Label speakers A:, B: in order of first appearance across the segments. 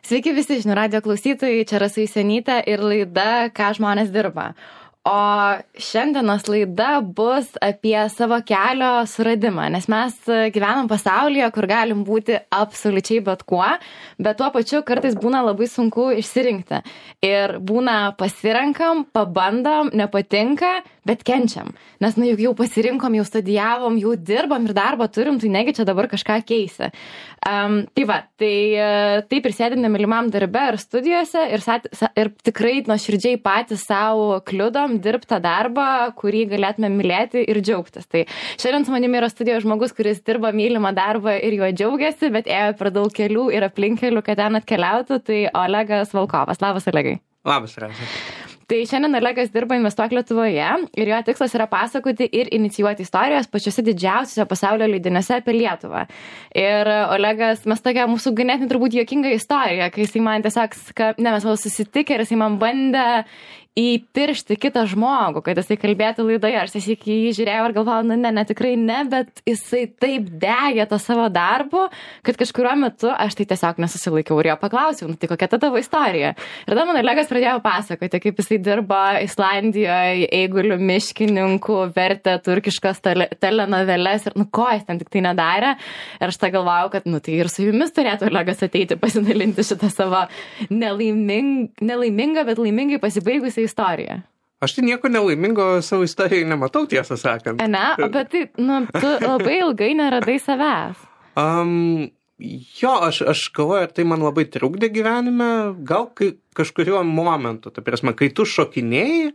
A: Sveiki visi žinių radijo klausytojai, čia Rasa Jusionytė ir laida Ką žmonės dirba. O šiandienos laida bus apie savo kelio suradimą, nes mes gyvenam pasaulyje, kur galim būti absoliučiai bet kuo, bet tuo pačiu kartais būna labai sunku išsirinkti. Ir būna pasirenkam, pabandom, nepatinka, bet kenčiam. Nes juk jau pasirinkom, jau studijavom, jau dirbam ir darbą turim, tai negi čia dabar kažką keisi. Taip ir sėdim nemylimam darbe ir studijose ir tikrai nuoširdžiai patys savo kliudom dirbti tą darbą, kurį galėtume mylėti ir džiaugtis. Tai šiandien su manimi yra studijoje žmogus, kuris dirba mylimą darbą ir juo džiaugiasi, bet ėjo per daug kelių ir aplinkelių, kad ten atkeliautų, tai Olegas Volkovas. Labas, Olegai.
B: Labas, Rasa.
A: Tai šiandien Olegas dirba Investuok Lietuvoje ir jo tikslas yra pasakoti ir inicijuoti istorijas pačiuose didžiausiuose pasaulio leidiniuose apie Lietuvą. Ir Olegas, mes tokia mūsų ganėtinai turbūt juokinga istorija, kai jisai man tiesiog, mes vėl susitikę ir jisai man bandė įpiršti kitą žmogų, kad jisai kalbėtų laidoje. Aš tiesiog jį žiūrėjau ir galvojau, ne, tikrai ne, bet jisai taip degė tą savo darbu, kad kažkuriuo metu aš tai tiesiog nesusilaikiau ir jo paklausiau, tai kokia ta tavo istorija. Ir tada man Olegas pradėjo pasakoti, kaip jisai dirba Islandijoje, eigulių miškininkų, vertė turkiškas telenoveles ir ko jis ten tik tai nedarė. Ir aš tą galvojau, kad tai ir su jumis turėtų Olegas ateiti pasidalinti šitą savo nelaimingą, bet laimingai pasibaigusią istoriją.
B: Aš tai nieko nelaimingo savo istorijai nematau, tiesą sakant.
A: Ne, bet tai, tu labai ilgai neradai savęs.
B: Jo, aš galvoju, ar tai man labai trukdė gyvenime, gal kažkuriuo momentu, tai prasme, kai tu šokinėjai,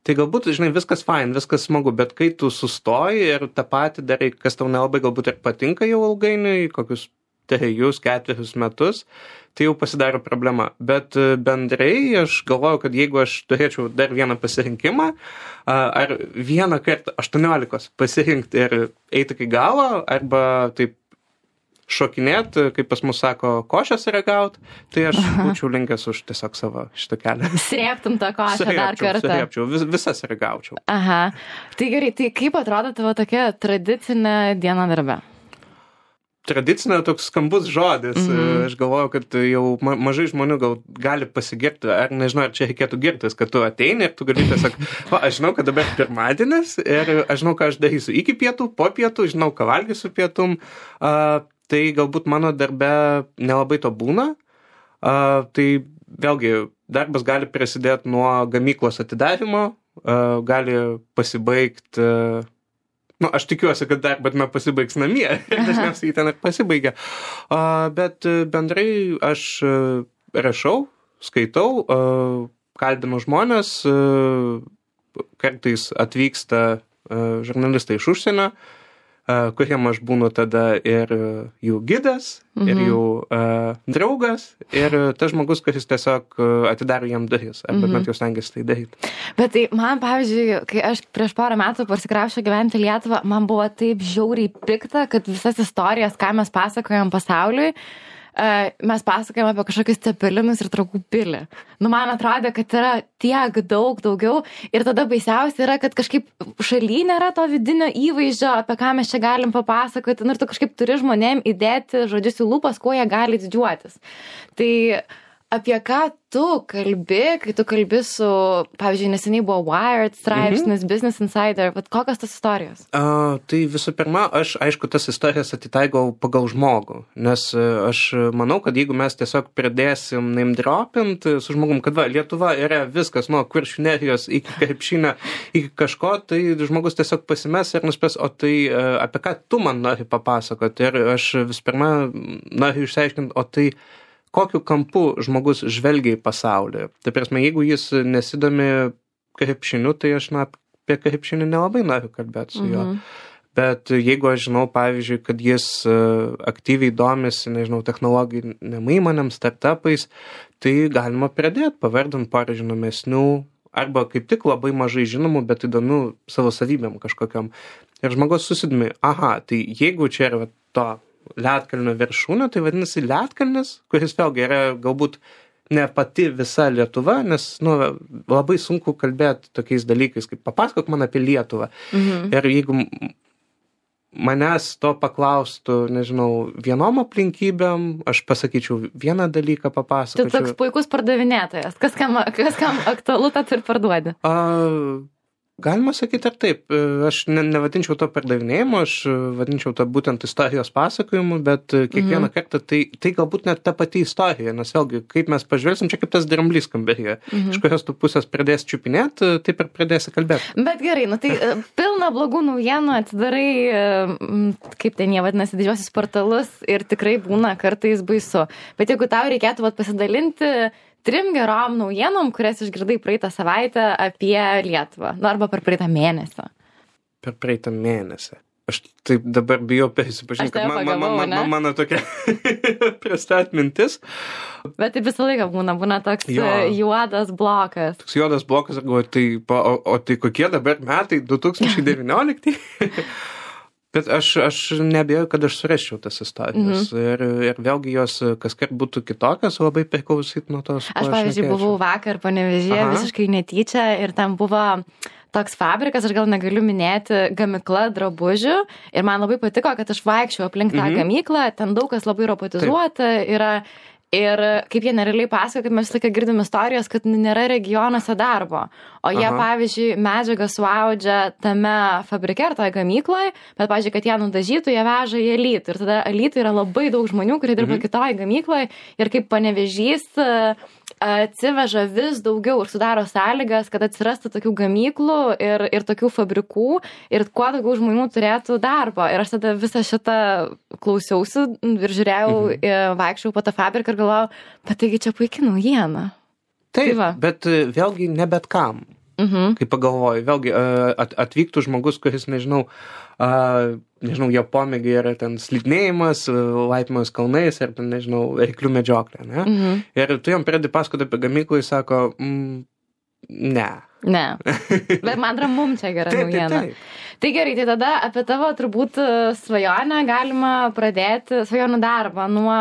B: tai galbūt, žinai, viskas fine, viskas smagu, bet kai tu sustoji ir tą patį darai, kas tau nelabai galbūt ir patinka jau ilgainiui, kokius 3-4 metus, tai jau pasidaro problema. Bet bendrai aš galvoju, kad jeigu aš turėčiau dar vieną pasirinkimą, ar vieną kartą 18 pasirinkti ir eiti iki galo, arba taip šokinėti, kaip pas mus sako, košės ragaut, tai aš būčiau linkęs už tiesiog savo šitą kelią.
A: Srėptum tą košę dar kartą.
B: Srėpčiau, visas ragaučiau.
A: Aha. Tai gerai, tai kaip atrodo tavo tokia tradicinė diena darbe?
B: Tradicinė toks skambus žodis. Aš galvoju, kad jau mažai žmonių gal gali pasigirti, ar nežinau, ar čia reikėtų girtis, kad tu ateini ir tu gali tiesiog, aš žinau, kad dabar pirmadienis ir aš žinau, ką aš darysiu iki pietų, po pietų, žinau, ką valgysiu pietum. Tai galbūt mano darbe nelabai to būna. Tai vėlgi, darbas gali prasidėti nuo gamyklos atidarimo, gali pasibaigti. Aš tikiuosi, kad darbas pasibaigs namie ir dažniausiai ten ir pasibaigia. Bet bendrai aš rašau, skaitau, kalbinu žmonės, kartais atvyksta žurnalistai iš užsienio, kuriem aš būnu tada ir jų gidas, ir jų draugas, ir tas žmogus, kuris tiesiog atidaro jam duris, arba bent jau stengiasi tai daryti.
A: Bet tai man, pavyzdžiui, kai aš prieš porą metų pasikraušiau gyventi Lietuvą, man buvo taip žiauriai pikta, kad visas istorijas, ką mes pasakojam pasauliui, mes pasakojam apie kažkokius cepelinus ir Trakų pilį. Man atrodė, kad yra tiek daugiau ir tada baisiausia yra, kad kažkaip šaly nėra to vidinio įvaizdžio, apie ką mes čia galim papasakoti, ir tu kažkaip turi žmonėm įdėti žodžius į lūpas, kuo jie gali didžiuotis. Tai apie ką tu kalbi, kai tu kalbi su, pavyzdžiui, neseniai buvo Wired straipsnis, Business Insider, bet kokios tas istorijos?
B: Tai visų pirma, aš, aišku, tas istorijas atitaigau pagal žmogų, nes aš manau, kad jeigu mes tiesiog pradėsim name dropint su žmogum, kad Lietuva yra viskas, nuo Kuršių nerijos iki krepšinio, iki kažko, tai žmogus tiesiog pasimes ir nuspės, o tai apie ką tu man nori papasakoti. Ir aš visų pirma noriu išsiaiškinti, o tai kokiu kampu žmogus žvelgia į pasaulį. Tai prasme, jeigu jis nesidomi krepšiniu, tai aš apie krepšinį nelabai noriu kalbėti su juo. Bet jeigu aš žinau, pavyzdžiui, kad jis aktyviai domisi, nežinau, technologinėm įmonėm, startupais, tai galima pradėti pavardint porą žinomesnių, arba kaip tik labai mažai žinomų, bet įdomių savo savybėm kažkokiam. Ir žmogus susidomi, tai jeigu čia yra to ledkalnio viršūnė, tai vadinasi ledkalnis, kuris vėlgi yra galbūt ne pati visa Lietuva, nes labai sunku kalbėti tokiais dalykais, kaip papasakok man apie Lietuvą. Ir jeigu manęs to paklaustų, nežinau, vienom aplinkybėm, aš pasakyčiau vieną dalyką, papasakočiau.
A: Tu toks puikus pardavinėtojas. Kas kam aktualu, tą ir parduodi.
B: Galima sakyti ir taip. Aš nevadinčiau to pardavinėjimu, aš vadinčiau to būtent istorijos pasakojimu, bet kiekvieną kartą tai galbūt net ta pati istorija, nes vėlgi, kaip mes pažvelgsim, čia kaip tas dramblys kambaryje. Iš kurios tu pusės pradės čiupinėti, taip ir pradėsi kalbėti.
A: Bet gerai, tai pilna blogų naujienų, atsidarai, kaip ten jie vadinasi, didžiosius portalus ir tikrai būna kartais baisu. Bet jeigu tau reikėtų pasidalinti 3 gerom naujienom, kurias išgirdai praeitą savaitę apie Lietuvą. Arba per praeitą mėnesį.
B: Per praeitą mėnesį. Aš taip dabar bijau prisipažinti, kad mano tokia prasta atmintis.
A: Bet tai visą laiką būna toks juodas blokas.
B: Toks juodas blokas, ir galvoju, tai kokie dabar metai, 2019? Bet aš nebijau, kad aš surasčiau tas istorijas. Ir vėlgi jos kaskart būtų kitokios, labai priklausyt nuo tos.
A: Aš, pavyzdžiui, buvau vakar Panevėžyje visiškai netyčia ir ten buvo toks fabrikas, aš gal negaliu minėti, gamykla drabužių. Ir man labai patiko, kad aš vaikščiau aplink tą gamyklą, ten daug kas labai robotizuota yra. Ir kaip jie nerealiai pasakoja, kad mes visą laiką girdim istorijos, kad nėra regionuose darbo. O jie, pavyzdžiui, medžiagą suaudžia tame fabrike ar toje gamykloje, bet, pavyzdžiui, kad ją nudažytų, jie veža į Alytų. Ir tada Alytų yra labai daug žmonių, kurie dirba kitoje gamykloje. Ir kaip Panevėžys atsiveža vis daugiau ir sudaro sąlygas, kad atsirastų tokių gamyklų ir tokių fabrikų ir kuo daugiau žmonių turėtų darbo. Ir aš tada visą šitą klausiausi ir žiūrėjau, vaikščiau po tą fabriką ir galvojau, bet taigi čia puikia naujiena.
B: Taip, bet vėlgi ne bet kam. Kaip pagalvoju, vėlgi atvyktų žmogus, kuris, nežinau, jo pomėgiai yra ten slidinėjimas, laipimas kalnais ir ten, nežinau, arklių medžioklė, ne? Ir tu jam pradedi pasakoti apie gamyklą, jis sako, ne.
A: Ne, bet man ramum čia gera naujiena. Tai gerai, tai tada apie tavo turbūt svajonę galima pradėti, svajonių darbą nuo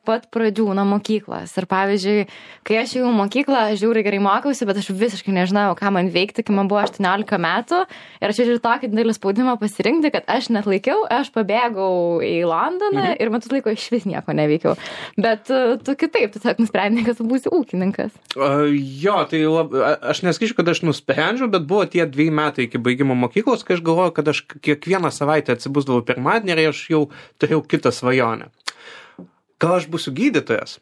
A: pat pradžių, nuo mokyklos. Ir pavyzdžiui, kai aš jau mokyklą, aš žiūri gerai mokiausi, bet aš visiškai nežinojau, ką man veikti, kai man buvo 18 metų. Ir aš žiūrėjau tokį didelį spaudimą pasirinkti, kad aš net laikiau, aš pabėgau į Londoną ir metus laiko iš vis nieko neveikiau. Bet tu kitaip, tu tiesiog nusprendai, kad tu būsi ūkininkas.
B: Jo, tai aš nesakyčiau, kad aš nusprendžiau, bet buvo tie 2 metai iki baigimo mokyklos, kai aš galvojau, kad aš kiekvieną savaitę atsibusdavau pirmadienį ir aš jau turėjau kitą svajonę. Gal aš būsiu gydytojas?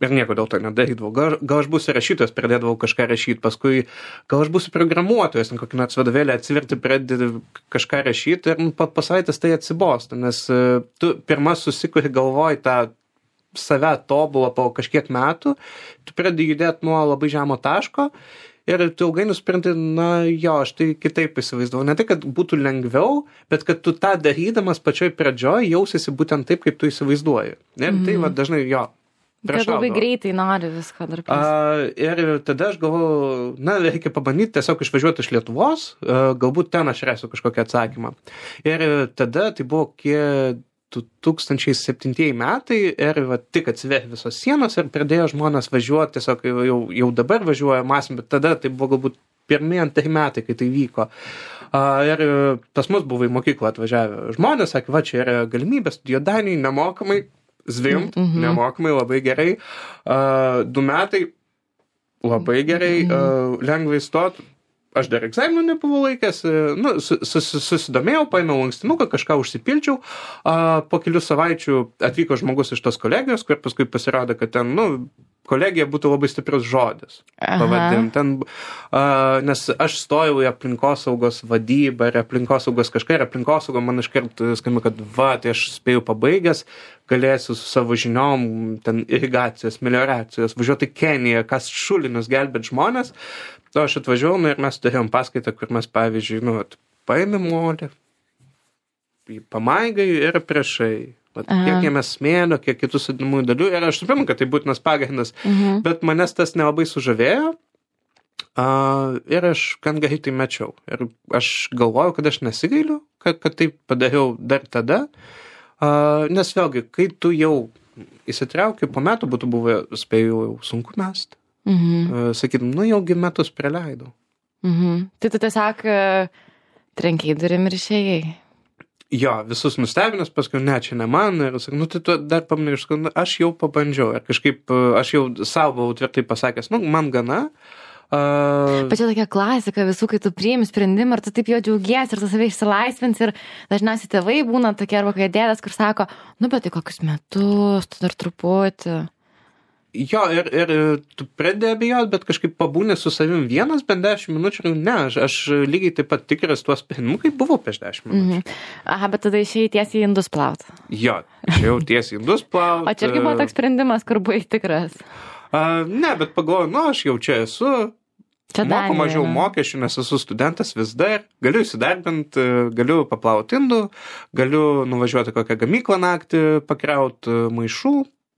B: Ir nieko dėl to nedarydavau. Gal aš būsiu rašytojas, pradėdavau kažką rašyti, paskui gal aš būsiu programuotojas, kokį nors vadovėlį atsiverti, pradėti kažką rašyti ir po savaitės tai atsibosta, nes tu pirma susikuri galvoj tą save tobulą po kažkiek metų, tu pradedi judėti nuo labai žemo taško ir tu ilgai nusprendai, aš tai kitaip įsivaizdavau. Ne tai, kad būtų lengviau, bet kad tu tą darydamas pačioj pradžioj jausiesi būtent taip, kaip tu įsivaizduoji. Ir tai dažnai
A: kad labai greitai nori viską dar
B: ir tada aš galvoju, reikia pabandyti tiesiog išvažiuoti iš Lietuvos, galbūt ten aš rasiu kažkokį atsakymą. Ir tada tai buvo 2007 metai ir tik atsiverė visos sienos ir pradėjo žmonės važiuoti, tiesiog jau dabar važiuoja masim, bet tada tai buvo galbūt 1-2 metai, kai tai vyko. Ir pas mus buvo į mokyklą atvažiavę žmonės, sakė, čia yra galimybė studijuoti Danijai, nemokamai, zvimpt, nemokamai, labai gerai. 2 metai, labai gerai, lengvai stot. Aš dar egzaminų nebuvau laikęs, susidomėjau, paėmiau lankstinuką, kažką užsipildžiau, po kelių savaičių atvyko žmogus iš tos kolegijos, kur paskui pasirodė, kad ten, kolegija būtų labai stiprius žodis. Pavadinti. Nes aš stojau į aplinkosaugos vadybą ir aplinkosaugos kažką, ir aplinkosauga man iškart skambė, kad tai aš spėjau pabaigęs, galėsiu su savo žiniom, ten irigacijos, melioracijos, važiuoti į Keniją, kas šulinius gelbėt žmonės. O aš atvažiavau ir mes turėjom paskaitą, kur mes, pavyzdžiui, paėmėm molį, pamaigai ir priešai. Kiek jame smėlio, kiek kitų sudedamųjų dalių. Ir aš suprantu, kad tai būtinas pagrindas, bet manęs tas nelabai sužavėjo. Ir aš gan greitai mečiau. Ir aš galvojau, kad aš nesigailiu, kad tai padariau dar tada. Nes vėlgi, kai tu jau įsitrauki, po metų būtų buvę, spėjau, jau sunku mest. Sakytum, jaugi metus praleidau.
A: Tai tu tiesiog trenkiai durim ir išėjai.
B: Jo, visus nustebinęs, paskui ne, čia ne man, ir sakau, nu tai tu dar paminėjai, aš jau pabandžiau, ir kažkaip aš jau savo buvau tvirtai pasakęs, nu, man gana.
A: Bet čia tokia klasika visų, kai tu priimi sprendimą ir tu taip jo džiaugiesi ir tu save išsilaisvins ir dažniausiai tėvai būna tokie arba kai dėdas, kur sako, nu bet tai kokius metus, tu dar truputį.
B: Jo, ir tu pradėjai abejot, bet kažkaip pabūnė su savim vienas, bent 10 minučių, ne, aš lygiai taip pat tikras tuos sprendimus, kaip buvau prieš 10 minučių.
A: Aha, bet tada išėjai tiesiai į indus plaut.
B: Jo, išėjau tiesiai į indus plaut.
A: O čia irgi buvo toks sprendimas, kur buvai tikras?
B: Ne, bet pagalvoju, nu, aš jau čia esu. Čia moku mažiau mokesčių, nes esu studentas vis dar, galiu įsidarbinti, galiu paplauti indų, galiu nuvažiuoti kokią gamyklą naktį, pakrauti maišų,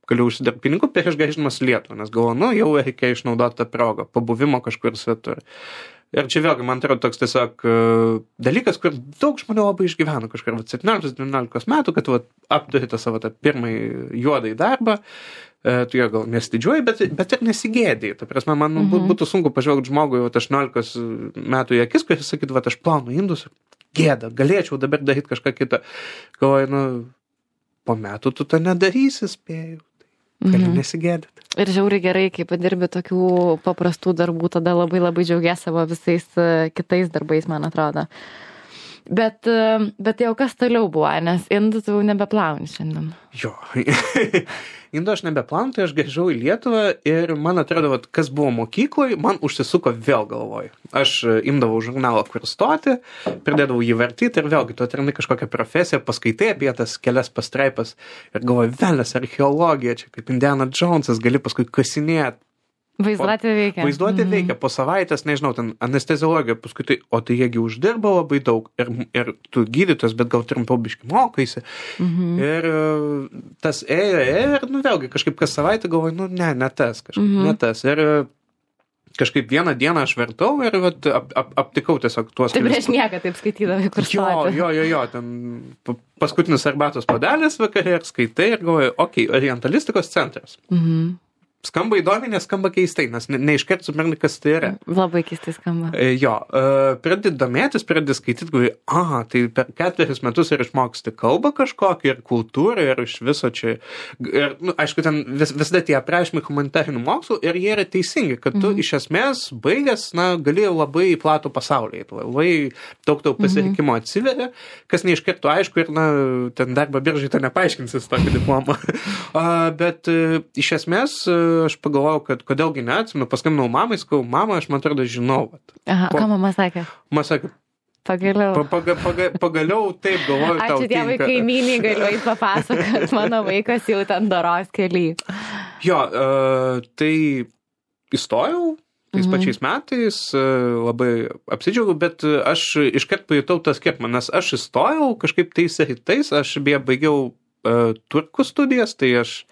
B: galiu užsidirbti pinigų prieš grįždamas į Lietuvą, nes galvoju, nu, jau reikia išnaudoti tą progą, pabuvimo kažkur svetur. Ir čia vėlgi, man atrodo, toks tiesiog dalykas, kur daug žmonių labai išgyveno kažkur 17-19 metų, kad apturi tą savo tą pirmąjį juodąjį darbą, tu jo gal nesididžiuoji, bet ir nesigėdėjai. Ta prasme, man būtų sunku pažvelgti žmogui 18 metų į akis, kuris sakytų, aš plaunu indus, gėda, galėčiau dabar daryti kažką kitą. Galvoju, nu, po metų tu to nedarysi, spėjau. Gali nesigėdyti.
A: Ir žiauriai gerai, kai padirbi tokių paprastų darbų, tada labai labai džiaugiesi savo visais kitais darbais, man atrodo. Bet jau kas toliau buvo, nes indų tu nebeplauni šiandien.
B: Jo, indų aš nebeplaunu, tai aš grįžau į Lietuvą ir man atrodo, kas buvo mokykloje, man užsisuko vėl galvoj. Aš imdavau žurnalą, kur stoti, pradėdavau jį vartyti ir vėlgi tu atrandi kažkokią profesiją, paskaitai apie tas kelias pastraipas ir galvoju, velnias, archeologija, čia kaip Indiana Jonesas, gali paskui kasinėti.
A: Vaizduotė veikia.
B: Vaizduotė veikia. Po savaitės, nežinau, ten anesteziologija, paskui tai, o tai jiegi uždirba labai daug ir tu gydytojas, bet gal trumpiau biškį mokaisi. Ir tas ėjo ir, nu vėlgi, kažkaip kas savaitę galvoju, nu ne tas, kažkaip ne tas. Ir kažkaip vieną dieną aš vertau ir aptikau tiesiog tuos...
A: Tai prieš nieką taip skaitydavai, kur stoti.
B: Jo, ten paskutinis arbatos puodelis vakarė ir skaitai ir galvoju, orientalistikos centras. Skamba įdomiai, nes skamba keistai, nes neiškart supranti, kas tai yra.
A: Labai keistai skamba.
B: Jo, pradedi domėtis, pradedi skaityti, galvoju, tai per 4 metus ir išmoksti kalbą kažkokią, ir kultūrą, ir iš viso čia. Ir, nu, aišku, ten visada tie aprašymai humanitarinių mokslų, ir jie yra teisingi, kad tu iš esmės baigęs, gali labai platų pasaulį, labai daug tau pasirinkimo atsiveria, kas neiškart aišku, ir, ten darbo biržai to nepaaiškinsis tokį diplomą. Bet iš esmės aš pagalvojau, kad kodėlgi neatsimenu, paskambinau mamai, sakau, mama, aš man atrodo žinau.
A: Aha, ką mama sakė?
B: Mama sakė,
A: pagaliau.
B: Pagaliau taip galvoju, tau tinka.
A: Ačiū Dievui, kaimynai, galiu eit papasakot, mano vaikas jau ten doros kely.
B: Jo, tai įstojau tais pačiais metais, labai apsidžiaugiau, bet aš iškart pajutau tą skirtumą, nes aš įstojau kažkaip tais rytais, aš beje baigiau turkų studijas, tai aš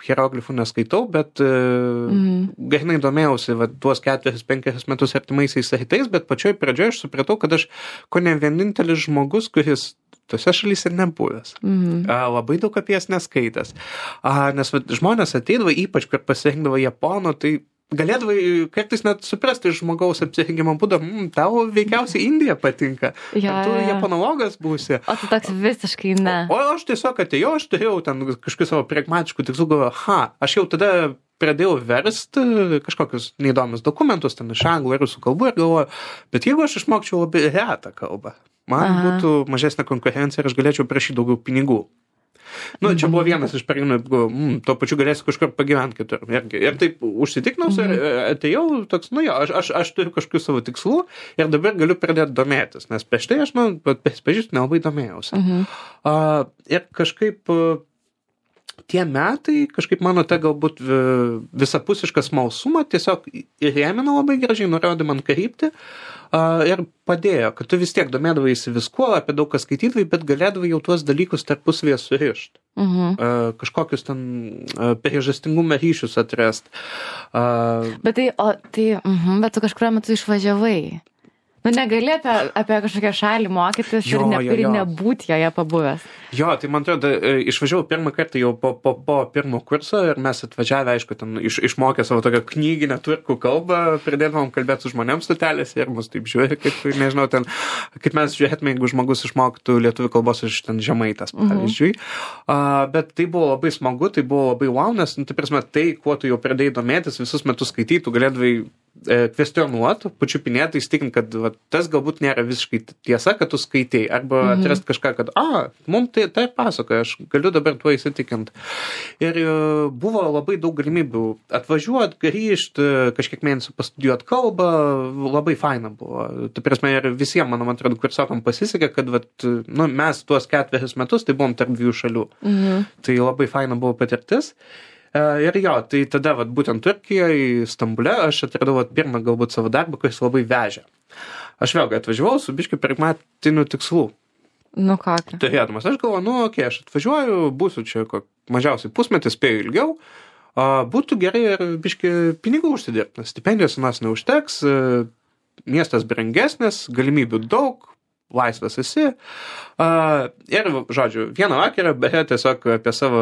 B: hieroglifų neskaitau, bet gainai domėjausi tuos 4-5 metus artimaisiais rytais, bet pačioj pradžioje aš supratau, kad aš kone vienintelis žmogus, kuris tose šalyse nebuvęs. Labai daug apie jas neskaitęs. Nes žmonės ateidavo, ypač kur pasirinkdavo japonų, tai galėdavai kartais net suprasti iš žmogaus apsirengimo būdą, tau veikiausiai Indija patinka. Tu japonologas būsi.
A: O tu toks visiškai ne.
B: O aš tiesiog atėjau, aš turėjau ten kažkokių savo pragmatiškų tikslų, galvoju, aš jau tada pradėjau versti kažkokius neįdomius dokumentus ten iš anglų ir rusų kalbų ir galvoju, bet jeigu aš išmokčiau labai retą kalbą, man būtų mažesnė konkurencija ir aš galėčiau prašyti daugiau pinigų. Čia buvo vienas iš pagrindinių, tuo pačiu galėsiu kažkur pagyventi kitur. Ir taip užsitiknau ir atėjau toks, aš turiu kažkokių savo tikslų ir dabar galiu pradėti domėtis, nes prieš tai aš, pažįstu, nelabai domėjausi. Ir kažkaip tie metai, kažkaip mano ta galbūt visapusišką smalsumą tiesiog įrėmino labai gražiai, nurodė man kryptį ir padėjo, kad tu vis tiek domėdavaisi viskuo, apie daug kas skaitydavai, bet galėdavai jau tuos dalykus tarpusavėje surišti. Kažkokius ten priežastingumo ryšius atrasti.
A: Bet tu kažkuriuo metu išvažiavai. Nu, negali apie kažkokią šalį mokytis ir nebūti joje pabuvęs.
B: Jo, tai man atrodo, išvažiavau pirmą kartą jau po pirmo kurso ir mes atvažiavę, aišku, ten išmokę savo tokią knyginę turkų kalbą, pradėdavom kalbėti su žmonėms stotelėse ir mus taip žiūrė, kaip, nežinau, ten, kaip mes žiūrėtume, jeigu žmogus išmoktų lietuvių kalbos iš ten Žemaitas, pavyzdžiui. Bet tai buvo labai smagu, tai buvo labai wow, nes, tai prasme, tai, kuo tu jau pradėjai domėtis, visus metus skaityti, tu galėdavai kvestionuoti, pačiupinėti, įsitikinti, kad va, tas galbūt nėra visiškai tiesa, kad tu skaitai, arba atrasti kažką, kad, mums tai pasakoja, aš galiu dabar tuo įsitikinti. Ir buvo labai daug galimybių atvažiuoti, grįžti, kažkiek mėnesių pastudijuoti kalbą, labai faina buvo. Tai prasme, ir visiems, man atrodo, kursiokam pasisekė, kad vat, nu, mes tuos 4 metus, tai buvom tarp 2 šalių. Tai labai faina buvo patirtis. Ir jo, tai tada vat, būtent Turkijoje, Stambule, aš atradau vat, pirmą galbūt savo darbą, kuris labai vežė. Aš vėlgi atvažiavau su biškiu pragmatiniu tikslu.
A: Nu kokį?
B: Turėdamas, aš galvoju, aš atvažiuoju, būsiu čia mažiausiai pusmetį, spėju ilgiau, būtų gerai ir biški pinigų užsidirbti, stipendijos nas neužteks, miestas brangesnis, galimybių daug, laisvas esi. Ir, žodžiu, vieną vakarą, beje, tiesiog apie savo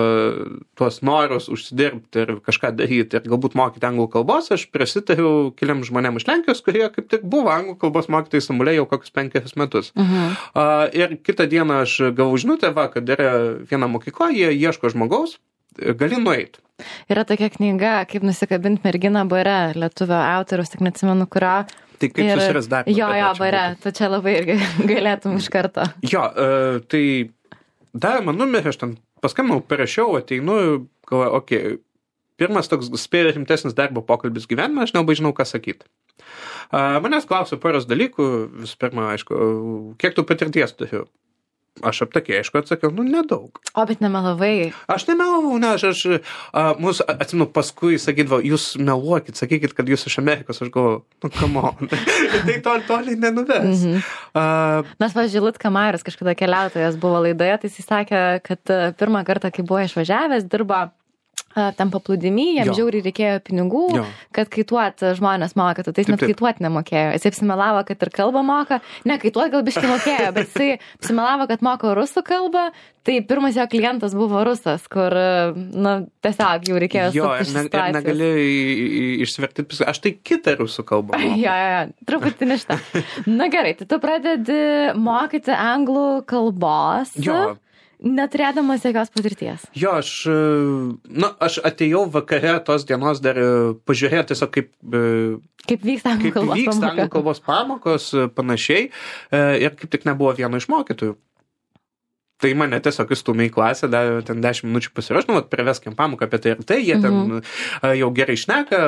B: tuos norus užsidirbti ir kažką daryti ir galbūt mokyti anglų kalbos, aš prisitariau keliam žmonėm iš Lenkijos, kurie kaip tik buvo anglų kalbos mokytojai Stambule jau kokius 5 metus. Ir kitą dieną aš gavau žinutę, kad yra viena mokykla, jie ieško žmogaus, gali nueiti.
A: Yra tokia knyga, kaip nusikabinti merginą bare, lietuvio autoriaus, tik neatsimenu kurio.
B: Tai kaip susiras darbą.
A: Jo, bare, tu čia labai irgi galėtum iš karto.
B: Jo, tai davė man numerį, aš ten paskambinau, parašiau, ateinu, galvoju, pirmas toks spėjo rimtesnis darbo pokalbis gyvenime, aš nelabai žinau, ką sakyti. Manęs klausė poros dalykų, visų pirma, aišku, kiek tu patirties turiu? Aš aptakiai, aišku, atsakiau, nedaug.
A: O, bet nemelavai. Aš
B: nemelavau, mūsų, atsimenu, paskui sakydavo, jūs meluokit, sakykit, kad jūs iš Amerikos, aš galvoju, come on. Tai toliai nenuves.
A: Mes, pavyzdžiui, Liutka Marius, kažkada keliautojas buvo laidoje, tai jis sakė, kad pirmą kartą, kai buvo išvažiavęs, dirbo tam paplūdimy, jam žiauriai reikėjo pinigų, kad kaituot žmonės mokytų, tai jis net kaituot nemokėjo. Jis apsimelavo, kad ir kalbą moka, ne, kaituot gal biškai mokėjo, bet jisai apsimelavo, kad moko rusų kalbą, tai pirmas jo klientas buvo rusas, kur, tiesiog jau reikėjo sukti iš situacijos. Ir
B: negali išsivertyti, aš tai kitą rusų kalbą moku.
A: Jo, truputį neštą. Na gerai, tai tu pradedi mokyti anglų kalbos. Neturėdamas jokios patirties.
B: Jo, aš atėjau vakare tos dienos dar pažiūrėti tiesiog
A: kaip vyksta anglų
B: kalbos pamokos, panašiai, ir kaip tik nebuvo vieno iš mokytojų. Tai mane tiesiog įstumė į klasę, davė ten 10 minučių pasiruošti, priveskim pamoką apie tai ir tai, jie ten jau gerai šneka.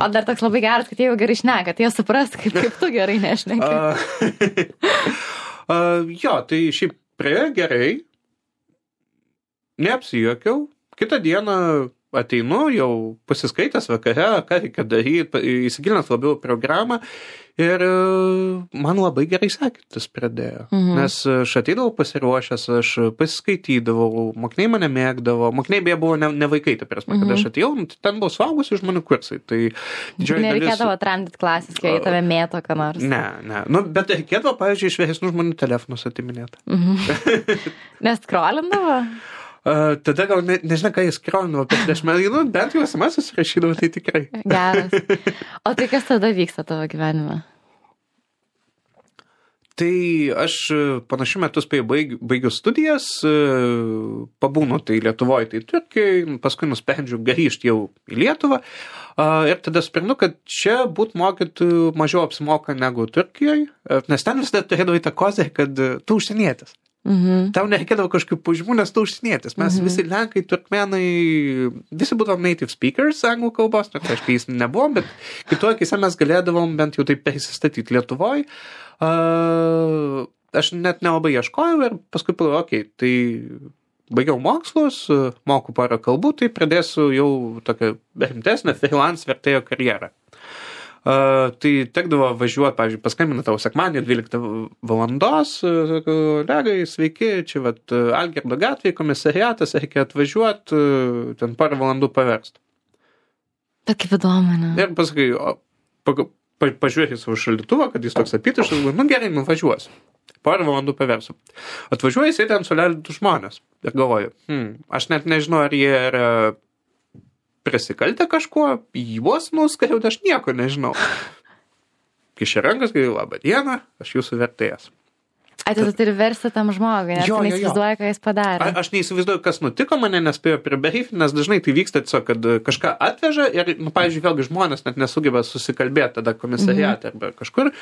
A: O dar toks labai geras, kad jie jau gerai šneka, tai jie supras, kaip tu gerai nešneki.
B: Jo, tai šiaip praėjo gerai. Neapsijuokiau. Kitą dieną ateinu, jau pasiskaitęs vakare, ką reikia daryti, įsigilinęs labiau programą ir man labai gerai sekėtis pradėjo. Nes aš ateidavau pasiruošęs, aš pasiskaitydavau, mokiniai mane mėgdavo, mokiniai beje buvo ne vaikai, ta prasme, kad aš atėjau, ten buvo suaugusių žmonių kursai. Tai
A: nereikėdavo atrandyti klasės, kai tave mėto, ką nors.
B: Ne. Bet reikėdavo, pavyzdžiui, iš vyresnių žmonių telefonus atiminėti.
A: Nes skrolindavo?
B: Tada gal nežinau, ką jis skrolindavo, bet prieš meną, bent jau SMS susirašydavo, tai tikrai.
A: Geras. O tai kas tada vyksta tavo gyvenime?
B: Tai aš panašiu metu baigiu studijas, pabūnu tai Lietuvoje, tai Turkijoje, paskui nusprendžiu grįžti jau į Lietuvą ir tada sprendžiu, kad čia būt mokytojų mažiau apsimoka negu Turkijoje, nes ten visada turėdavo tą kozę, kad tu užsienietis. Tau nereikėdavo kažkokių pažymų, nes tu užsienietis. Mes visi lenkai, turkmenai, visi būdavom native speakers anglų kalbos, tai aišku, jis nebuvom, bet kitoje akise mes galėdavom bent jau taip persistatyti Lietuvoje. Aš net nelabai ieškojau ir paskui pagalvojau, tai baigiau mokslus, moku porą kalbų, tai pradėsiu jau tokią rimtesnę freelance vertėjo karjerą. Tai tekdavo važiuoti, pavyzdžiui, paskambina tau sekmadienį 12 valandos, legai, sveiki, čia Algirdo gatvėje, komisariatas, reikia atvažiuoti, ten porą valandų paversti.
A: Tokį įdomu, ne?
B: Ir pasakai, pažiūrėti savo šaldytuvą, kad jis toks apytuštas, nu gerai, nuvažiuosiu. Porą valandų paversiu. Atvažiuoju, jisai ten suleido du žmonės. Ir galvoju, aš net nežinau, ar jie yra prisikaltę kažkuo, juos nuskariau, aš nieko nežinau. Kišė rankas, galvoju, labą dieną, aš jūsų vertėjas.
A: Tu turi versti tam žmogui, nes tu neįsivaizduoji, ką jis padarė.
B: Aš neįsivaizduoju, kas nutiko, mane nespėjo pribriefint, nes dažnai tai vyksta tiesiog, kad kažką atveža ir, pavyzdžiui, vėlgi žmonės net nesugeba susikalbėti tada komisariate arba kažkur.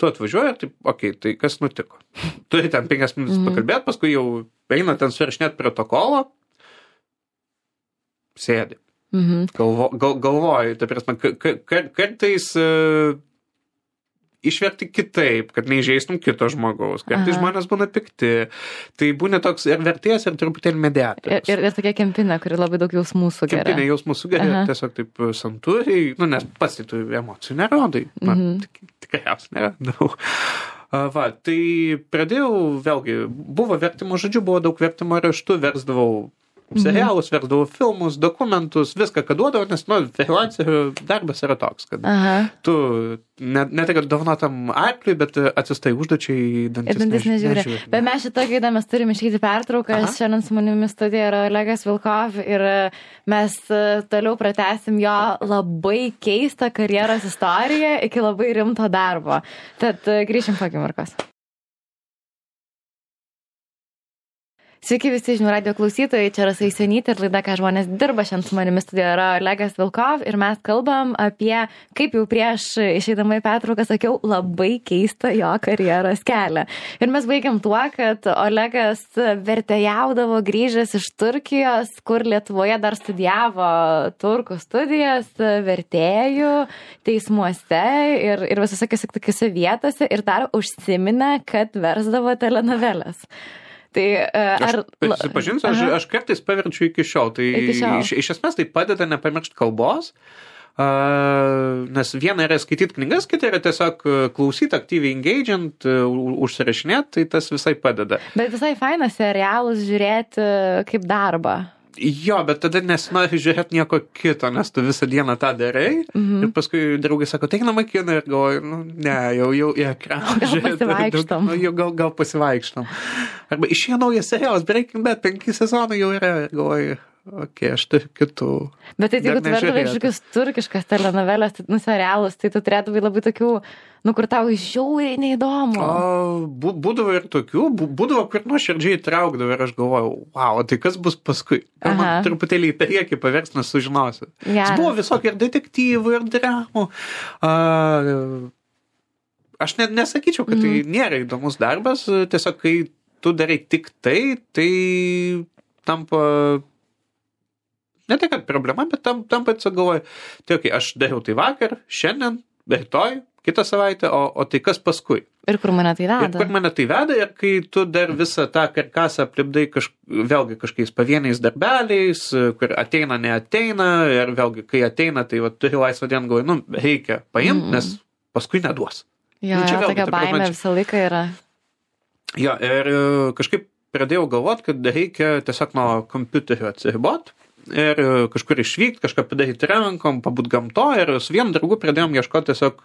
B: Tu atvažiuoji ir taip, okei, tai kas nutiko? Turi ten 5 minutės pakalbėti, paskui jau eina ten surašinėti protokolo, sėdi. Galvoju, ta prasme, kartais išverti kitaip, kad neįžeistum kito žmogaus. Kartais žmonės būna pikti. Tai būna toks ir vertėjas, ir truputėlį mediatorius.
A: Ir tokia kempinė, kuri labai daug jausmų sugeria.
B: Kempinė jausmų sugeria, tiesiog taip santūriai, nes pats tai tu emocijų nerodai. Tikriausiai nerodau. Tai pradėjau, vėlgi, buvo vertimo žodžiu, buvo daug vertimo raštų, versdavau serialus, versdavau filmus, dokumentus, viską, ką duodavau, nes, freelancerių darbas yra toks, kad tu ne tai, kad dovanotam arkliui, bet atsistai užduočiai dantis nežiūri.
A: Bet mes šitą gaidą mes turim išeiti pertrauką, šiandien su manimi studijoje yra Olegas Vilkov ir mes toliau pratęsim jo labai keistą karjeros istoriją iki labai rimto darbo. Tad grįšim po akimirkos. Sveiki visi žinių radijo klausytojai, čia Rasa Isenytė ir laida, ką žmonės dirba. Šiandien su manimi studijoje yra Olegas Vilkov ir mes kalbam apie, kaip jau prieš išeidama į pertrauką sakiau, labai keistą jo karjeros kelią. Ir mes baigiam tuo, kad Olegas vertėjaudavo grįžęs iš Turkijos, kur Lietuvoje dar studijavo turkų studijas, vertėjų, teismuose ir visose tokiose vietose ir dar užsiminė, kad versdavo telenoveles. Tai
B: prisipažinsiu, aš kartais paverčiu iki šiol. Tai iš esmės tai padeda nepamiršti kalbos, nes viena yra skaityti knygas, kita yra tiesiog klausyti, aktyviai engage'int, užsirašinėti, tai tas visai padeda.
A: Bet visai fainas serialus žiūrėti kaip darbą.
B: Jo, bet tada nesinori žiūrėti nieko kito, nes tu visą dieną tą darai. Ir paskui draugai sako, einam į kiną ir galvoju, ne, jau į ekraną
A: žiūrėti.
B: Gal pasivaikštam. Arba išėjo naujas serialas, Breaking Bad, 5 sezonai jau yra ir galvoju, aš turiu kitų.
A: Bet tai jeigu tu verdavai kažkokius turkiškas telenovelės, serialus, tai tu turėdavai labai tokių, kur tau žiauriai neįdomu.
B: Būdavo ir tokių, būdavo, kur nuoširdžiai traukdavo ir aš galvojau, wow, tai kas bus paskui? Gal man truputėlį į priekį pavers, nes sužinosiu. Buvo visokių ir detektyvų, ir dramų. Aš net nesakyčiau, kad tai nėra įdomus darbas, tiesiog kai tu darai tik tai tampa, ne tai, kad problema, bet tampa atsigalvoju, tai aš dariau tai vakar, šiandien, rytoj, kitą savaitę, o tai kas paskui?
A: Ir kur mane tai veda?
B: Ir kai tu dar visą tą karkasą aplipdai vėlgi kažkokiais pavieniais darbeliais, kur ateina, neateina, ir vėlgi, kai ateina, tai turi laisvą dieną, galvoju, reikia paimti, nes paskui neduos.
A: Jo, tokia baimė visą laiką yra.
B: Jo, ir kažkaip pradėjau galvoti, kad reikia tiesiog nuo kompiuterio atsiriboti ir kažkur išvykti, kažką padaryti rankom, pabūt gamto ir su vienu draugu pradėjom ieškoti tiesiog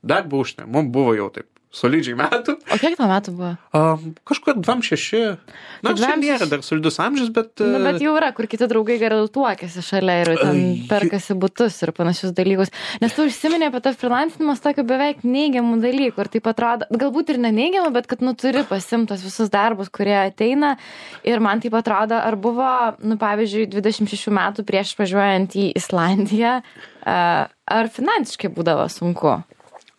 B: darbą užsienį. Mums buvo jau taip solidžiai metų.
A: O kiek tau metų buvo?
B: Kažkur 26. Čia nėra dar solidus amžius, bet...
A: Bet jau yra, kur kiti draugai gerai tuokėsi šalia ir ten perkasi butus ir panašius dalykus. Nes tu užsiminė apie tą freelancinimas tokių beveik neigiamų dalykų ir taip atrodo, galbūt ir neneigiamų, bet kad turi pasimtos visus darbus, kurie ateina ir man taip atrodo, ar buvo, pavyzdžiui, 26 metų prieš važiuojant į Islandiją, ar finansiškai būdavo sunku?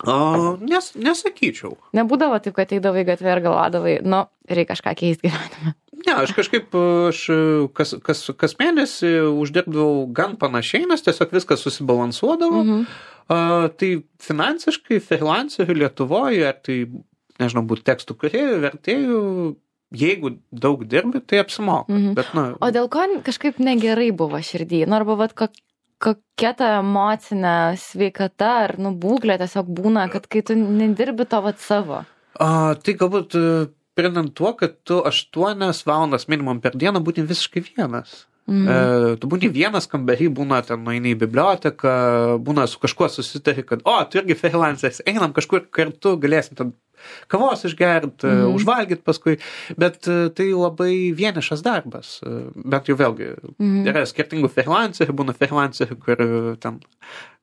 B: Nesakyčiau.
A: Nebūdavo taip, kad eidavai gatvę ir galvodavai, reikia kažką keisti gyvenime.
B: Ne, aš kažkaip kas mėnesį uždirbdavau gan panašiai, nes tiesiog viskas susibalansuodavo. Tai finansiškai freelancerių Lietuvoje, ar tai, nežinau, būtų tekstų kūrėjų, vertėjų, jeigu daug dirbi, tai apsimoka. Bet,
A: o dėl ko kažkaip negerai buvo širdį? Arba kokia ta emocinė sveikata ar būklė tiesiog būna, kad kai tu nedirbi to savo?
B: Tai galbūt pridant tuo, kad tu 8 valandas minimum per dieną būtum visiškai vienas. Tu būni vienas kambarį, būna ten nueini į biblioteką, būna su kažkuo susitari, kad, tu irgi freelanceris, einam kažkur kartu, galėsim ten kavos išgerti, užvalgyti paskui, bet tai labai vienišas darbas. Bet jau vėlgi, yra skirtingų freelancerių, būna freelancerių, kur ten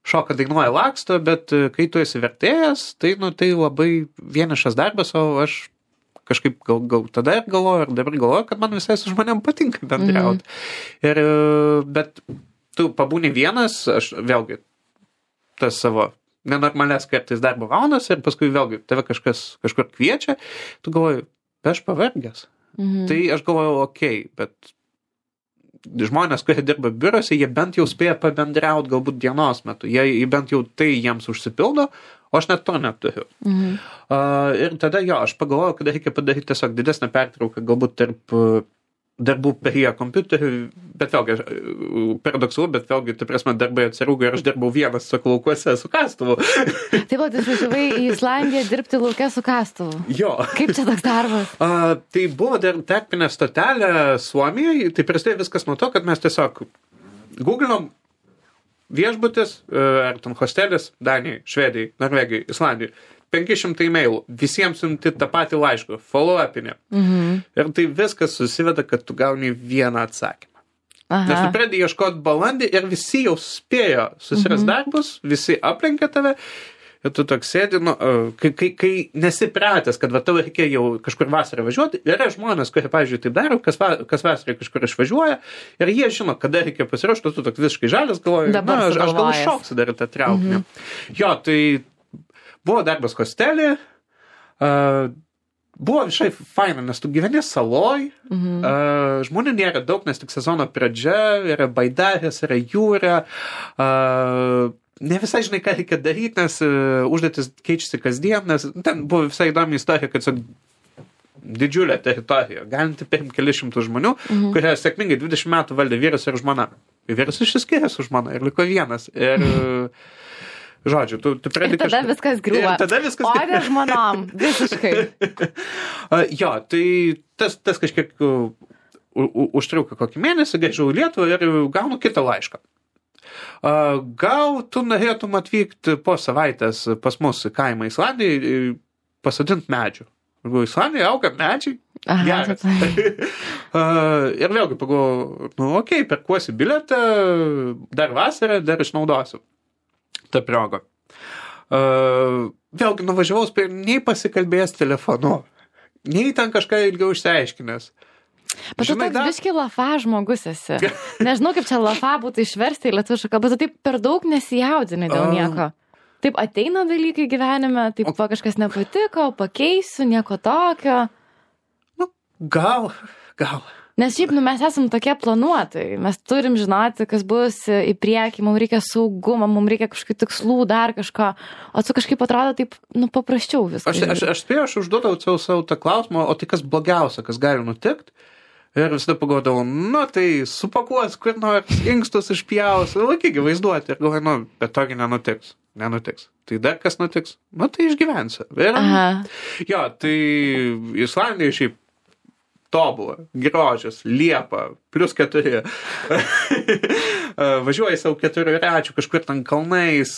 B: šoka, dainuoja, laksto, bet kai tu esi vertėjas, tai, tai labai vienišas darbas, o aš kažkaip gal tada ir galvoju, ir dabar galvoju, kad man visai su žmonėm patinka bendrauti. Bet tu pabūni vienas, aš vėlgi tas savo nenormalias kartais darbo valandas ir paskui vėlgi tave kažkur kviečia, tu galvoji, aš pavargęs. Tai aš galvoju, bet žmonės, kurie dirba biurose, jie bent jau spėja pabendrauti galbūt dienos metu. Jie bent jau tai jiems užsipildo, o aš net to neturiu. Ir tada aš pagalvoju, kad reikia padaryti tiesiog didesnę pertrauką, galbūt tarp darbų prie kompiuterių, bet vėlgi, paradoksalu, bet vėlgi, tai prasme, darbai atsirūgo ir aš dirbau vienas su laukuose su kastuvu.
A: Taip pat išvažiavai į Islandiją dirbti lauke su kastuvu.
B: Jo.
A: Kaip čia toks darbas?
B: Tai buvo dar tarpinė stotelė Suomijoje, tai prasidėjo viskas nuo to, kad mes tiesiog googlinom viešbutis, ar ten hostelis, Danijai, Švedijai, Norvegijai, Islandijai. 500 e-mailų, visiems siunti tą patį laišką, follow-upinė. Ir tai viskas susiveda, kad tu gauni vieną atsakymą. Nes tu pradėjai ieškoti balandį ir visi jau spėjo susiras darbus, visi aplenkė tave ir tu toks sėdi, kai nesipratęs, kad tau reikia jau kažkur vasarą važiuoti, yra žmonės, kurie, pavyzdžiui, taip daro, kas vasarą kažkur išvažiuoja ir jie žino, kada reikia pasiruošti, tu toks visiškai žalias galvoji, aš gal šoksiu dar tą traukinį. Jo, tai buvo darbas hostelį, buvo visai faina, nes tu gyveni saloj, žmonių nėra daug, nes tik sezono pradžia, yra baidarės, yra jūra, ne visai žinai, ką reikia daryti, nes užduotis keičiasi kasdien, nes ten buvo visai įdomi istorija, kad didžiulė teritorija, galinti paimti kelius šimtus žmonių, kurie sėkmingai 20 metų valdė vyras ir žmona. Vyras išsiskyrė su žmona ir liko vienas. Ir žodžiu, tu pradedi
A: kažką. Ir tada viskas griūva. O ne žmonom, visiškai.
B: Jo, tai tas kažkiek užtruko kokį mėnesį, grįžau į Lietuvą ir gaunu kitą laišką. Gal tu norėtum atvykti po savaitės pas mus į kaimą Islandijai pasodinti medžių. Islandijai auga medžiai. Geras. Ir vėlgi pagalvoju, perkuosi bilietą, dar vasarą, dar išnaudosiu tą progą. Vėlgi nuvažiavau, nei pasikalbėjęs telefonu, nei ten kažką ilgiau išsiaiškinęs.
A: Bet tu toks biški lafa žmogus esi. Nežinau, kaip čia lafa būtų išversti į lietuvišką kalbą, bet taip per daug nesijaudini dėl nieko. Taip ateina dalykai gyvenime, taip kažkas nepatiko, pakeisiu, nieko tokio.
B: Gal.
A: Nes šiaip, mes esam tokie planuotojai, mes turim žinoti, kas bus į priekį, mums reikia saugumo, mums reikia kažkokių tikslų, dar kažko, o tu kažkaip atrodo taip, paprasčiau viskas.
B: Aš spėjau, aš užduodavau savo tą klausimą, o tai kas blogiausia, kas gali nutikti? Ir visada pagalvodavau, tai supakuos, kur nors inkstus išpjaus, laikygi vaizduoti. Ir galvoju, bet togi nenutiks. Tai dar kas nutiks? Tai išgyvensiu. Jo, tai Islandija šiaip tobulą, grožis, liepa, +4. Važiuoji savo 4 račių, kažkur ten kalnais,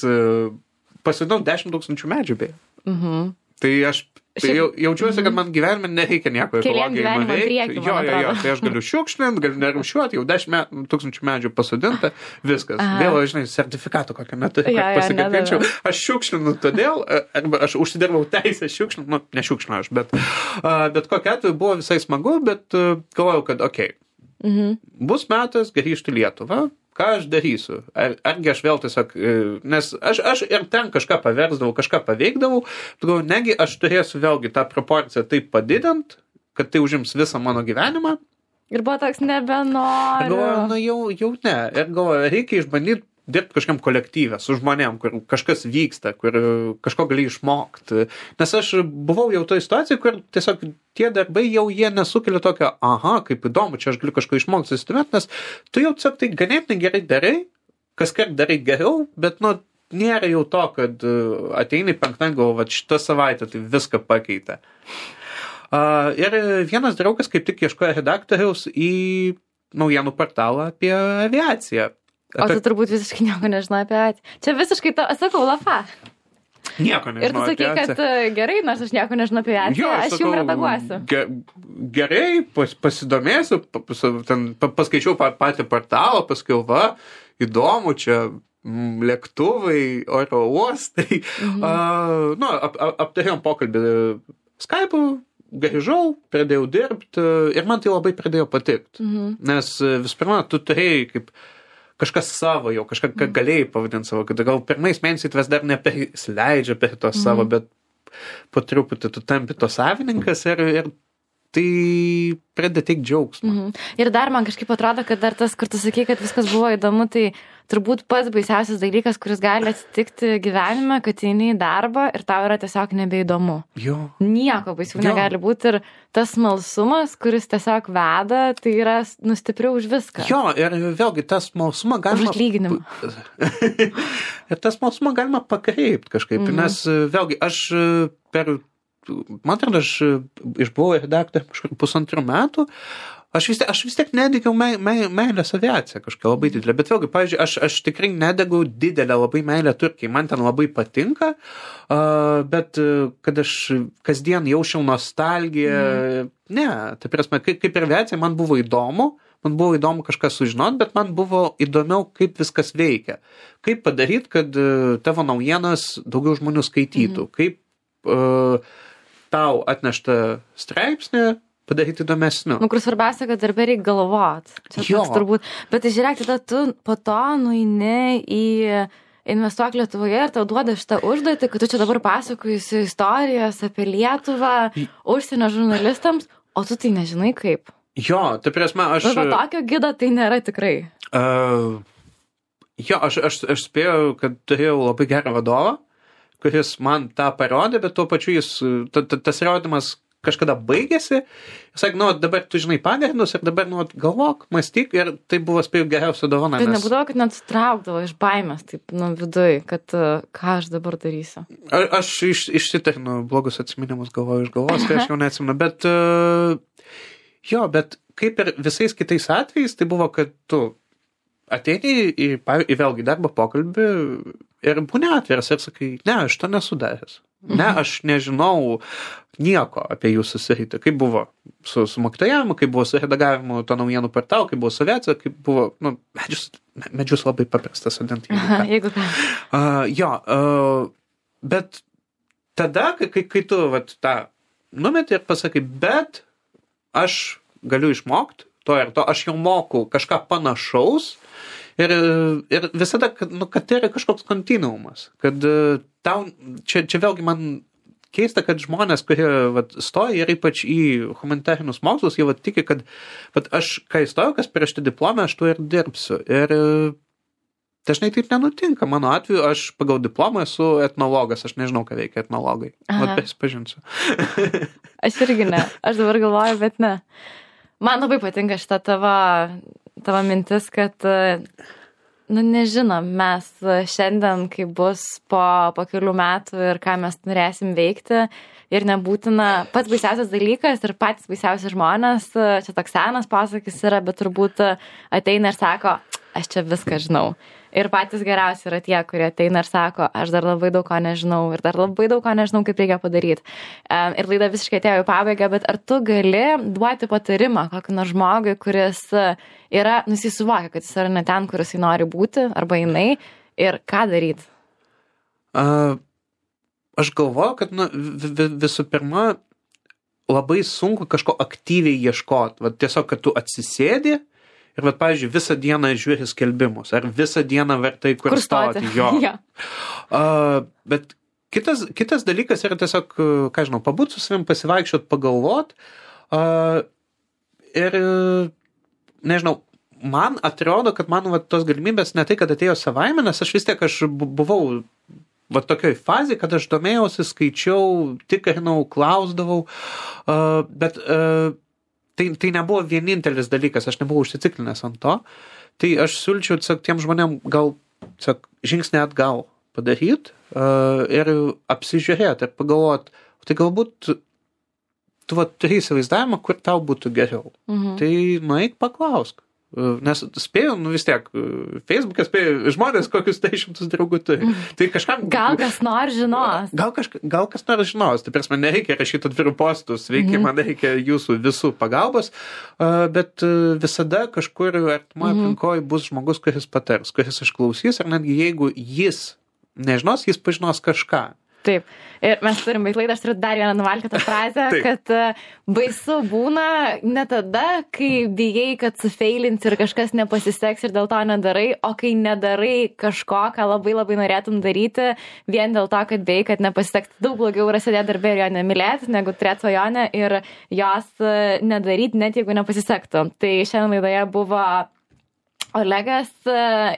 B: pasidau 10 000 medžių beje. Tai aš jaučiuosi, kad man gyvenime nereikia nieko ekologijai nuveikti. Jo, tai aš galiu šiukšlinti, galiu nerūšiuoti, jau 10 000 medžių pasodinta, viskas. Vėl, žinai, sertifikato kokią neturiu, kad pasikabinčiau. Aš šiukšlinu todėl, arba aš užsidirbau teisę šiukšlinti, ne šiukšlinu aš, bet kokia atveju buvo visai smagu, bet galvojau, kad bus metas grįžti į Lietuvą. Ką aš darysiu? Argi aš vėl tiesiog, nes aš ir ten kažką paversdavau, kažką paveikdavau, negi aš turėsiu vėlgi tą proporciją taip padidint, kad tai užims visą mano gyvenimą.
A: Ir buvo toks nebenoriu.
B: Galvoju, jau ne. Ir galvoju, reikia išbandyti dirbti kažkam kolektyvę, su žmonėm, kur kažkas vyksta, kur kažko gali išmokti. Nes aš buvau jau toje situacijoje, kur tiesiog tie darbai jau jie nesukelia tokio, kaip įdomu, čia aš galiu kažko išmokti susitumėti, nes tu jau tiesiog tai ganėtinai gerai darai, kaskart darai geriau, bet nėra jau to, kad ateini penktadienį, galvoju, šitą savaitę tai viską pakeitė. Ir vienas draugas kaip tik ieškojo redaktoriaus į naujienų portalą apie aviaciją.
A: O tu turbūt visiškai nieko nežinai apie aviaciją. Čia visiškai, sakau, lafa.
B: Nieko nežinau.
A: Ir tu sakai, kad gerai, nors aš nieko nežinau apie aviaciją, aš jums redaguosiu.
B: Gerai, pasidomėsiu, paskaičiau patį portalą, paskiau įdomu, čia lėktuvai, oro uostai. Aptarėjom pokalbį Skype'u, grįžau, pradėjau dirbti ir man tai labai pradėjo patikti. Nes vis pirma, tu turėjai kaip kažkas savo jau, kažką galėjai pavadinti savo, kad gal pirmais mėnesiais tavęs dar neperleidžia per to savo, bet po truputį tu tampi to savininkas ir tai pradeda teikti džiaugsmą.
A: Ir dar man kažkaip atrodo, kad dar tas, kur tu sakai, kad viskas buvo įdomu, tai turbūt pats baisiausias dalykas, kuris gali atsitikti gyvenime, kad eini į darbą ir tau yra tiesiog nebeįdomu.
B: Jo.
A: Nieko baisiau negali būti ir tas smalsumas, kuris tiesiog veda, tai yra stipriau už viską.
B: Jo, ir vėlgi tas smalsumą galima...
A: Už atlyginimą.
B: Ir tas smalsumą galima pakreipti kažkaip, nes vėlgi aš man atrodo, aš išbuvau redaktorė kažkur 1,5 metų, aš vis tiek nedegiau meilės aviaciją kažką labai didelę, bet vėlgi, pavyzdžiui, aš tikrai nedegau didelę labai meilę Turkijai, man ten labai patinka, bet kad aš kasdien jaučiau nostalgiją, ne, tai prasme, kaip ir aviacija, man buvo įdomu kažką sužinoti, bet man buvo įdomiau, kaip viskas veikia, kaip padaryti, kad tavo naujienas daugiau žmonių skaitytų, kaip tau atneštą straipsnį padaryti įdomesniu.
A: Kur svarbiausia, kad darbė reikia galvot. Čia toks turbūt. Bet tai žiūrėk, tada tu po to nueini į Investuok Lietuvoje ir tau duoda šitą užduotį, kad tu čia dabar pasakojusi istorijas apie Lietuvą užsienio žurnalistams, o tu tai nežinai kaip.
B: Jo, tai prasme, aš...
A: Tokio gido tai nėra tikrai.
B: Jo, aš spėjau, kad turėjau labai gerą vadovą, kuris man tą parodė, bet tuo pačiu tas rodymas kažkada baigėsi. Jis sakė, dabar tu žinai pagrindus ir dabar galvok, mąstyk ir tai buvo spėjau geriausia dovana.
A: Tai nebūdavo, kad net traukdavo iš baimės, taip, viduj, kad ką aš dabar darysiu.
B: Aš išsitarinu blogus atsiminimus galvoju iš galvos, tai aš jau neatsimenu, bet bet kaip ir visais kitais atvejais, tai buvo, kad tu ateini į vėlgi darbo pokalbį ir būni atviras ir sakai, ne, aš to nesu daręs. Ne, aš nežinau nieko apie jūsų sritį. Kaip buvo su mokytojavimu, kaip buvo su redagavimu to naujienų portalo, kaip buvo su aviacija, kaip buvo, medžius labai paprastas sodinti.
A: Jeigu ką.
B: Bet tada, kai tu tą numeti ir pasakai, bet aš galiu išmokti to ir to, aš jau moku kažką panašaus, ir visada, kad tai yra kažkoks kontinuumas, kad tau, čia vėlgi man keista, kad žmonės, kurie stoja ir ypač į humanitarinius mokslus, jie tiki, kad aš, kai įstojau, kas prieš tai diplomą, aš tuo ir dirbsiu. Ir dažnai taip nenutinka. Mano atveju, aš pagal diplomą esu etnologas, aš nežinau, ką veikia etnologai. Prisipažinsiu.
A: Aš irgi ne. Aš dabar galvoju, bet ne. Man labai patinka šita tavo mintis, kad, nežinom, mes šiandien, kai bus po kelių metų ir ką mes norėsim veikti, ir nebūtina, pats baisiausias dalykas ir patys baisiausi žmonės, čia toks senas pasakis yra, bet turbūt ateina ir sako, aš čia viską žinau. Ir patys geriausi yra tie, kurie ateina ir sako, aš dar labai daug ko nežinau ir dar labai daug ko nežinau, kaip reikia padaryti. Ir laida visiškai atėjo į pabaigą, bet ar tu gali duoti patarimą kokį nors žmogui, kuris yra, jis suvokia, kad jis yra ne ten, kur jis nori būti, arba jinai, ir ką daryti?
B: Aš galvoju, kad visų pirma, labai sunku kažko aktyviai ieškoti. Tiesiog, kad tu atsisėdi ir, pavyzdžiui, visą dieną žiūri skelbimus, ar visą dieną vertai kur stoti. Jo. Ja. Bet kitas dalykas yra tiesiog, ką žinau, pabūt su savim, pasivaikščiot, pagalvot. Ir, nežinau, man atrodo, kad man tos galimybės ne tai, kad atėjo savaime, nes aš vis tiek buvau tokioj fazėje, kad aš domėjausi, skaičiau, tikrinau, klausdavau, bet tai nebuvo vienintelis dalykas, aš nebuvau užsiciklinęs ant to, tai aš siūlyčiau tiem žmonėm gal žingsnį atgal padaryti ir apsižiūrėti ir pagalvoti, tai galbūt tu turi įsivaizdavimą, kur tau būtų geriau. Tai nueik paklausk. Nes spėjau, vis tiek, Facebook'e spėjau, žmonės kokius 100 draugų turi. Tai kažkam...
A: Gal kas nors žinos.
B: Gal kas nors žinos. Tai prasme, nereikia rašyti atvirų postus, man reikia jūsų visų pagalbos, bet visada kažkur artimoje aplinkoje bus žmogus, kuris patars, kuris išklausys, ar netgi jeigu jis nežinos, jis pažinos kažką.
A: Taip. Ir mes turim baigt laidą, aš turiu dar vieną nuvalkėtą frazę, kad baisu būna ne tada, kai bijai, kad sufeilinsi ir kažkas nepasiseks ir dėl to nedarai, o kai nedarai kažko, ką labai labai norėtum daryti, vien dėl to, kad bijai, kad nepasiseks. Daug blogiau yra sėdėti darbė ir jo nemylėti, negu turėti svajonę ir jos nedaryti, net jeigu nepasisektų. Tai šiandien laidoje buvo Olegas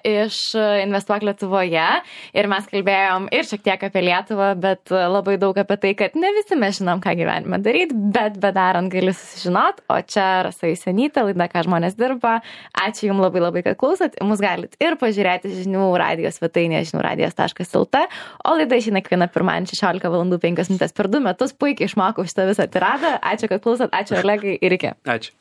A: iš Investuok Lietuvoje ir mes kalbėjom ir šiek tiek apie Lietuvą, bet labai daug apie tai, kad ne visi mes žinom, ką gyvenime daryti, bet bedarant gali susižinot, o čia Rasa Jusionytė, laida Ką žmonės dirba. Ačiū Jums labai labai, kad klausot, mus galit ir pažiūrėti žinių radijos svetainėje žiniųradijas.lt, o laida išeina kiekvieną pirmadienį 16:05 per 2 metus, puikiai išmokau šitą visą tiradą. Ačiū, kad klausot, ačiū Olegai ir iki.
B: Ačiū.